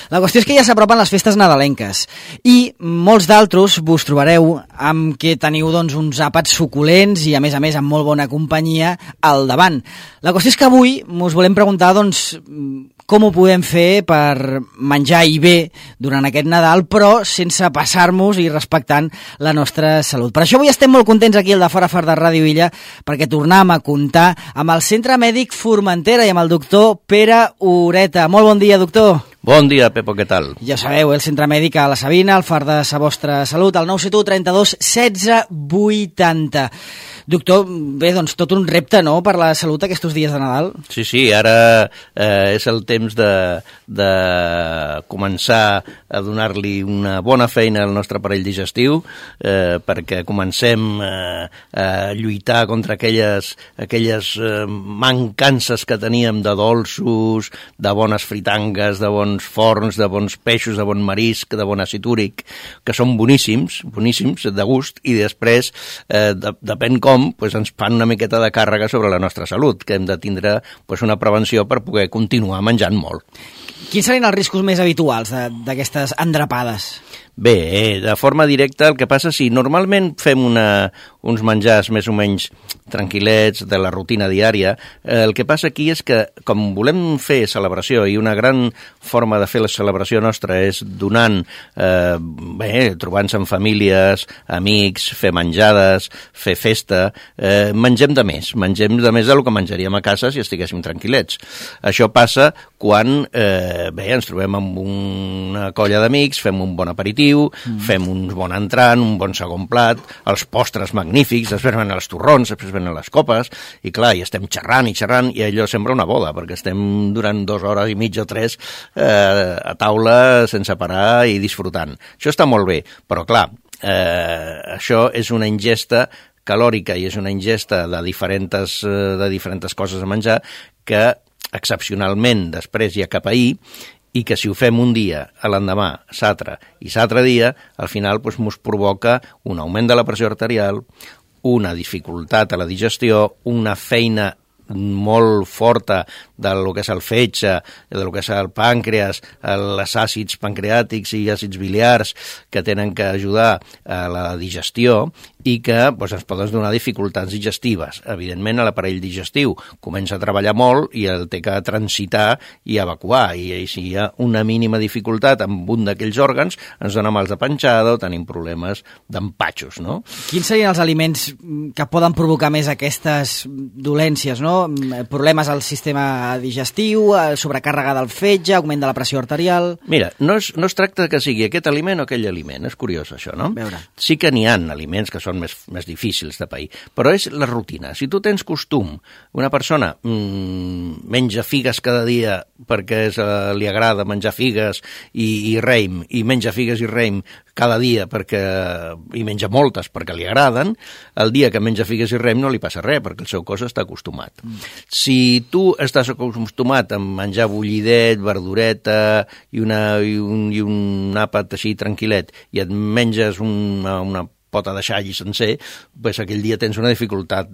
La qüestió és que ja s'apropen les festes nadalenques i molts d'altres vos trobareu amb que teniu doncs, uns àpats suculents i a més amb molt bona companyia al davant. La qüestió és que avui us volem preguntar doncs, com ho podem fer per menjar i bé durant aquest Nadal, però sense passar-nos i respectant la nostra salut. Per això avui estem molt contents aquí al de Fora de Ràdio Illa, perquè tornem a comptar amb el Centre Mèdic Formentera i amb el doctor Pere Ureta. Molt bon dia, doctor. Bon dia, Pepo, què tal? Ja sabeu, el Centre Mèdic a la Sabina, el far de sa vostra salut, el 971 32 16 80. Doctor, bé, doncs tot un repte, no?, per la salut aquests dies de Nadal. Sí, ara és el temps de començar a donar-li una bona feina al nostre aparell digestiu, perquè comencem a lluitar contra aquelles mancances que teníem de dolços, de bones fritangues, de bons forns, de bons peixos, de bon marisc, de bon àcid úric, que són boníssims, de gust, i després, depèn com, ens fan una miqueta de càrrega sobre la nostra salut, que hem de tindre una prevenció per poder continuar menjant molt. Quins serien els riscos més habituals d'aquestes endrapades? Bé, de forma directa, el que passa, si normalment fem uns menjars més o menys tranquil·lets de la rutina diària, el que passa aquí és que, com volem fer celebració, i una gran forma de fer la celebració nostra és donant, trobant-se amb famílies, amics, fer menjades, fer festa, mengem de més del que menjaríem a casa si estiguéssim tranquil·lets. Això passa quan ens trobem amb una colla d'amics, fem un bon aperitiu, fem un bon entrant, un bon segon plat, els postres magnífics, després venen els torrons, després venen les copes, i clar, i estem xerrant, i allò sembla una boda, perquè estem durant 2 hores i mitja o 3 a taula sense parar i disfrutant. Això està molt bé, però clar, això és una ingesta calòrica i és una ingesta de diferents coses a menjar que excepcionalment després hi ha cap ahir, i que si ho fem un dia, a l'endemà, s'altre i s'altre dia, al final ens provoca un augment de la pressió arterial, una dificultat a la digestió, una feina molt forta del que és el fetge, del que és el pàncreas, els àcids pancreàtics i àcids biliars que tenen que ajudar a la digestió i que ens poden donar dificultats digestives. Evidentment, l'aparell digestiu comença a treballar molt i el té que transitar i evacuar, i si hi ha una mínima dificultat amb un d'aquells òrgans, ens dona mals de panxada o tenim problemes d'empatxos, no? Quins serien els aliments que poden provocar més aquestes dolències, no? Problemes al sistema digestiu, sobrecàrrega del fetge, augment de la pressió arterial... Mira, no es tracta que sigui aquest aliment o aquell aliment, és curiós això, no? Sí que n'hi ha aliments que són més difícils de pair, però és la rutina. Si tu tens costum, una persona menja figues cada dia perquè li agrada menjar figues i raïm, i menja figues i raïm cada dia i menja moltes perquè li agraden, el dia que menja figues i raïm no li passa res perquè el seu cos està acostumat. Si tu estàs acostumat a menjar bullidet, verdureta i un àpat així tranquil·let i et menges una pota de xai sencer, aquell dia tens una dificultat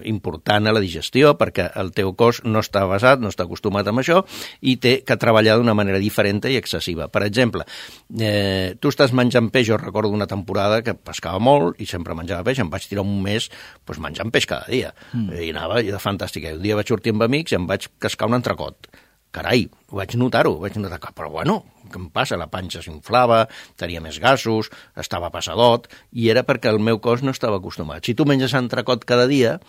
important a la digestió perquè el teu cos no està basat, no està acostumat amb això i té que treballar d'una manera diferent i excessiva. Per exemple, tu estàs menjant peix, jo recordo una temporada que pescava molt i sempre menjava peix, em vaig tirar un mes menjant peix cada dia i anava fantàstic. Un dia vaig sortir amb amics i em vaig cascar un entrecot. Carai, vaig notar que, però bueno, què em passa? La panxa s'inflava, tenia més gasos, estava passadot, i era perquè el meu cos no estava acostumat. Si tu menges entrecot cada dia,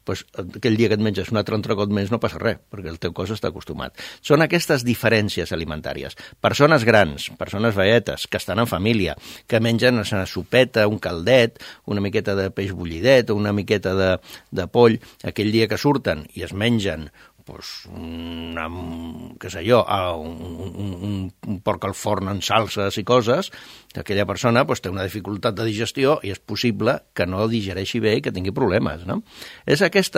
aquell dia que et menges un altre entrecot més no passa res, perquè el teu cos està acostumat. Són aquestes diferències alimentàries. Persones grans, persones veietes, que estan en família, que mengen una sopeta, un caldet, una miqueta de peix bullidet o una miqueta de poll, aquell dia que surten i es mengen un porc al forn en salses i coses, aquella persona té una dificultat de digestió i és possible que no digereixi bé i que tingui problemes, no? És aquest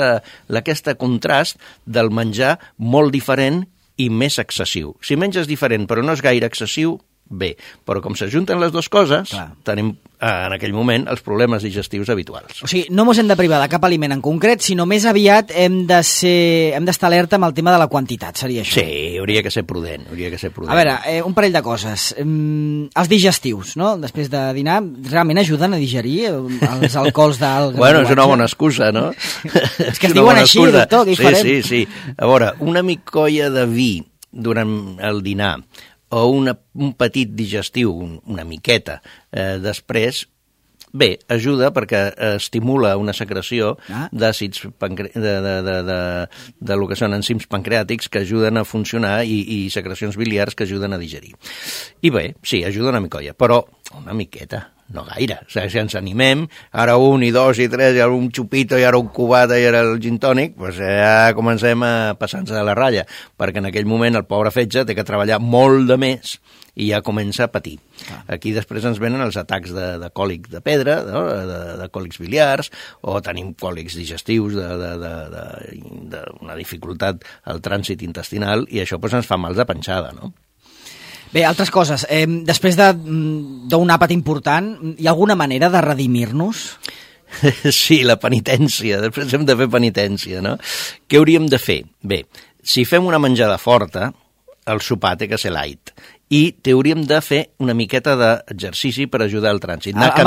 contrast del menjar molt diferent i més excessiu. Si menges diferent però no és gaire excessiu, bé. Però com s'ajunten les dues coses, tenim en aquell moment els problemes digestius habituals. O sigui, no ens hem de privar de cap aliment en concret, sinó més aviat hem d'estar alerta amb el tema de la quantitat, seria això? Sí, hauria que ser prudent, A veure, un parell de coses. Els digestius, no? Després de dinar, realment ajuden a digerir els alcohols d'alga? Bueno, és una bona excusa, no? És que es diuen així, doctor, què hi farem? Sí. A veure, una micolla de vi durant el dinar o un petit digestiu, una miqueta, després, bé, ajuda perquè estimula una secreció d'àcids, de lo que són enzims pancreàtics que ajuden a funcionar i secrecions biliars que ajuden a digerir. I bé, sí, ajuda una micolla, però una miqueta, no gaire. O sigui, si ens animem, ara 1 i 2 i 3, i ara un xupito, i ara un cubata, i ara el gin tònic, doncs ja comencem a passar-nos de la ratlla, perquè en aquell moment el pobre fetge té que treballar molt de més i ja comença a patir. Aquí després ens venen els atacs de còlic de pedra, no? de còlics biliars, o tenim còlics digestius d'una dificultat al trànsit intestinal, i això doncs, ens fa mals de panxada, no? Bé, altres coses. Després d'un àpat important, hi ha alguna manera de redimir-nos? Sí, la penitència. Després hem de fer penitència, no? Què hauríem de fer? Bé, si fem una menjada forta, el sopar té que ser light. I hauríem de fer una miqueta d'exercici per ajudar al trànsit. Anar a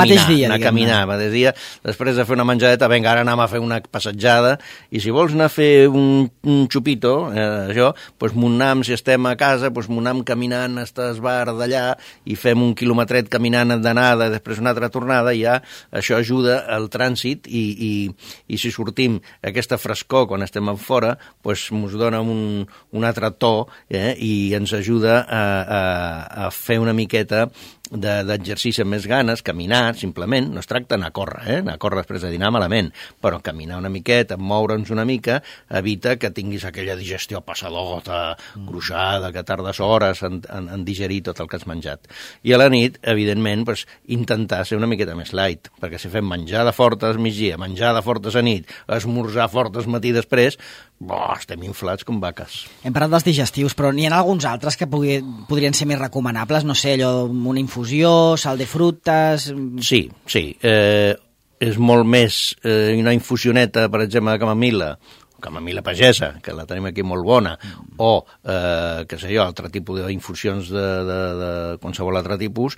caminar. Mateix dia, després de fer una menjadeta, vinga, ara anem a fer una passejada, i si vols anar a fer un xupito, això, doncs m'ho anem, si estem a casa, doncs m'ho anem caminant fins al bar d'allà, i fem un quilometret caminant d'anada, després una altra tornada, i ja això ajuda al trànsit, i si sortim aquesta frescor quan estem fora, doncs ens dona un altre to, i ens ajuda a fer una miqueta d'exercici amb més ganes, caminar, simplement, no es tracta d'anar a córrer, anar a córrer després de dinar malament, però caminar una miqueta, moure'ns una mica, evita que tinguis aquella digestió passadota, gruixada, que tardes hores en digerir tot el que has menjat. I a la nit, evidentment, doncs, intentar ser una miqueta més light, perquè si fem menjada forta al migdia, menjada forta a nit, esmorzar fort al matí després, estem inflats com vaques. Hem parlat dels digestius, però n'hi ha alguns altres que podrien ser més recomanables, no sé, allò, una infusió, sal de frutes... Sí. És molt més una infusioneta, per exemple, de camamil·la pagesa, que la tenim aquí molt bona, o, què sé jo, altre tipus d'infusions de qualsevol altre tipus,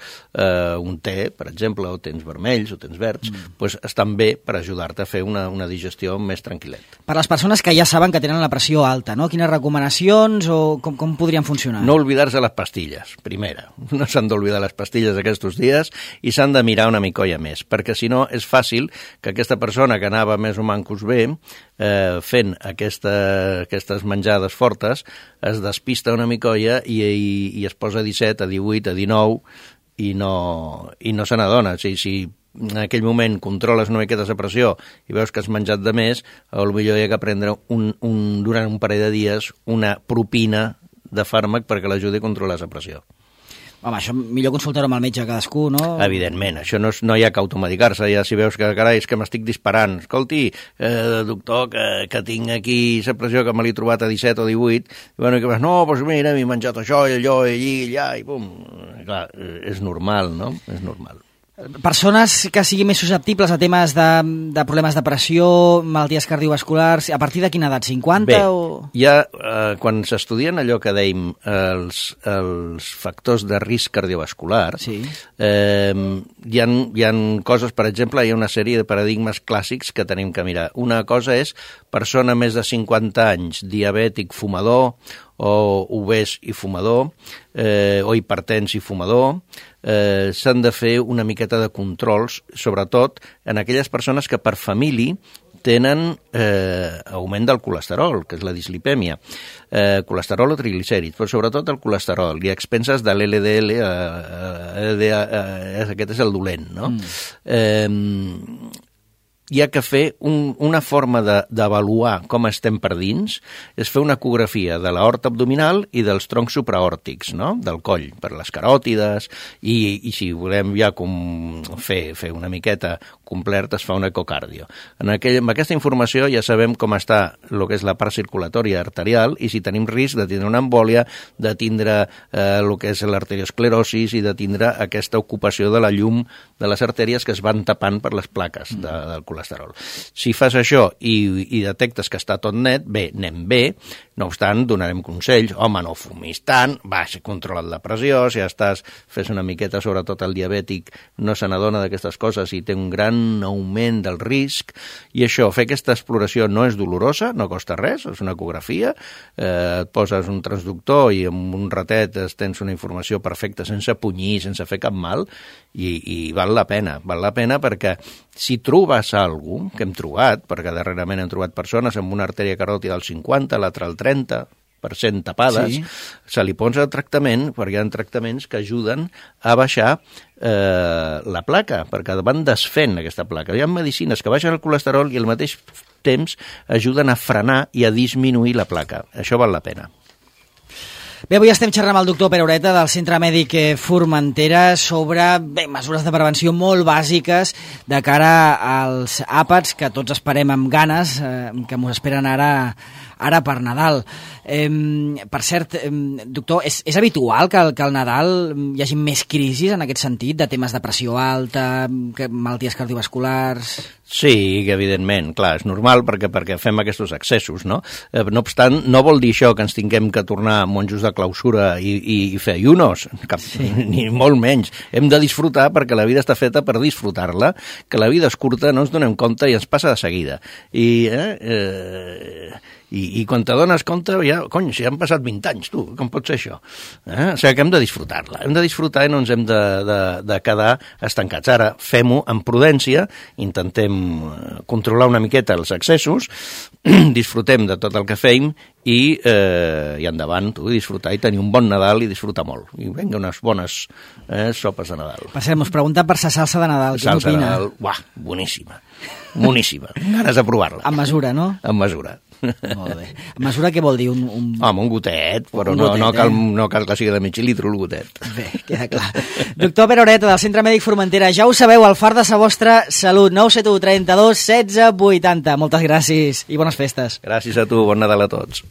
un té, per exemple, o tens vermells o tens verds, doncs estan bé per ajudar-te a fer una digestió més tranquil·let. Per les persones que ja saben que tenen la pressió alta, no? Quines recomanacions o com podrien funcionar? No oblidar-se les pastilles, primera. No s'han d'oblidar les pastilles aquests dies i s'han de mirar una micolla més, perquè si no és fàcil que aquesta persona que anava més o mancos bé, fent aquestes menjades fortes, es despista una micolla i es posa a 17, a 18, a 19 i no se n'adona. O sigui, si en aquell moment controles una miqueta la pressió i veus que has menjat de més, potser hi ha que prendre durant un parell de dies una propina de fàrmac perquè l'ajudi a controlar la pressió. Home, això millor consultar-ho amb el metge cadascú, no? Evidentment, això no hi ha que automedicar-se, ja si veus que, carai, és que m'estic disparant. Escolti, doctor, que tinc aquí la pressió que me l'he trobat a 17 o 18, i bueno, que vas, no, doncs mira, m'he menjat això, i allò, i allí, i allà, i pum. Clar, és normal, no? És normal. Persones que siguin més susceptibles a temes de problemes de pressió, malalties cardiovasculars, a partir de quina edat? 50? Bé, ja quan s'estudien allò que dèiem els factors de risc cardiovascular, sí. Hi ha coses, per exemple, hi ha una sèrie de paradigmes clàssics que tenim que mirar. Una cosa és persona més de 50 anys, diabètic, fumador, o obès i fumador, o hipertens i fumador, s'han de fer una miqueta de controls, sobretot en aquelles persones que per família tenen augment del colesterol, que és la dislipèmia, colesterol o triglicèrids, però sobretot el colesterol, i a expenses de l'LDL, aquest és el dolent, no? hi ha que fer una forma d'avaluar com estem per dins, és fer una ecografia de l'aorta abdominal i dels troncs supraòrtics, no?, del coll, per les caròtides, i si volem ja fer una miqueta completa, es fa un ecocardio. Amb aquesta informació ja sabem com està el que és la part circulatòria arterial i si tenim risc de tindre una embòlia, de tindre el que és l'arteriosclerosis i de tindre aquesta ocupació de la llum de les artèries que es van tapant per les plaques del colesterol. Si fas això i detectes que està tot net, bé, anem bé, no obstant, donarem consells, home, no fumis tant, controla't la pressió, si fes una miqueta, sobretot el diabètic, no se n'adona d'aquestes coses i té un gran augment del risc, i això, fer aquesta exploració no és dolorosa, no costa res, és una ecografia, et poses un transductor i en un ratet tens una informació perfecta, sense punyir, sense fer cap mal, i val la pena perquè si trobes alguna cosa que hem trobat, perquè darrerament hem trobat persones amb una artèria caròtida al 50, l'altra al 30% tapades, se li posa tractament, perquè hi ha tractaments que ajuden a baixar la placa, perquè van desfent aquesta placa. Hi ha medicines que baixen el colesterol i al mateix temps ajuden a frenar i a disminuir la placa. Això val la pena. Bé, avui estem xerrant amb el doctor Pere Ureta del Centre Mèdic Formentera sobre mesures de prevenció molt bàsiques de cara als àpats que tots esperem amb ganes, que mos esperen ara per Nadal. Per cert, doctor, és habitual que al Nadal hi hagi més crisis en aquest sentit, de temes de pressió alta, malalties cardiovasculars? Sí, evidentment, clar, és normal perquè fem aquests excessos, no? No obstant, no vol dir això que ens tinguem que tornar monjos de clausura i fer ayunos, ni molt menys. Hem de disfrutar perquè la vida està feta per disfrutar-la, que la vida és curta, no ens donem compte i ens passa de seguida. I quan t'adones compte, si han passat 20 anys, tu, com pot ser això? O sigui que hem de disfrutar-la, hem de disfrutar i no ens hem de quedar estancats. Ara, fem-ho amb prudència, intentem controlar una miqueta els excessos, disfrutem de tot el que fem i endavant, tu, disfrutar i tenir un bon Nadal i disfrutar molt. I vinga, unes bones sopes de Nadal. Per cert, m'us pregunta per sa salsa de Nadal. Salsa de Nadal, boníssima, boníssima. Ganes de provar-la. Amb mesura, no? Amb mesura. Molt bé. Mesura què vol dir? Home, un gotet, però no cal que sigui de mig litre el gotet. Bé, queda clar. Doctor Pere Ureta, del Centre Mèdic Formentera, ja ho sabeu, el far de sa vostra salut, 971 32 16 80. Moltes gràcies i bones festes. Gràcies a tu, bon Nadal a tots.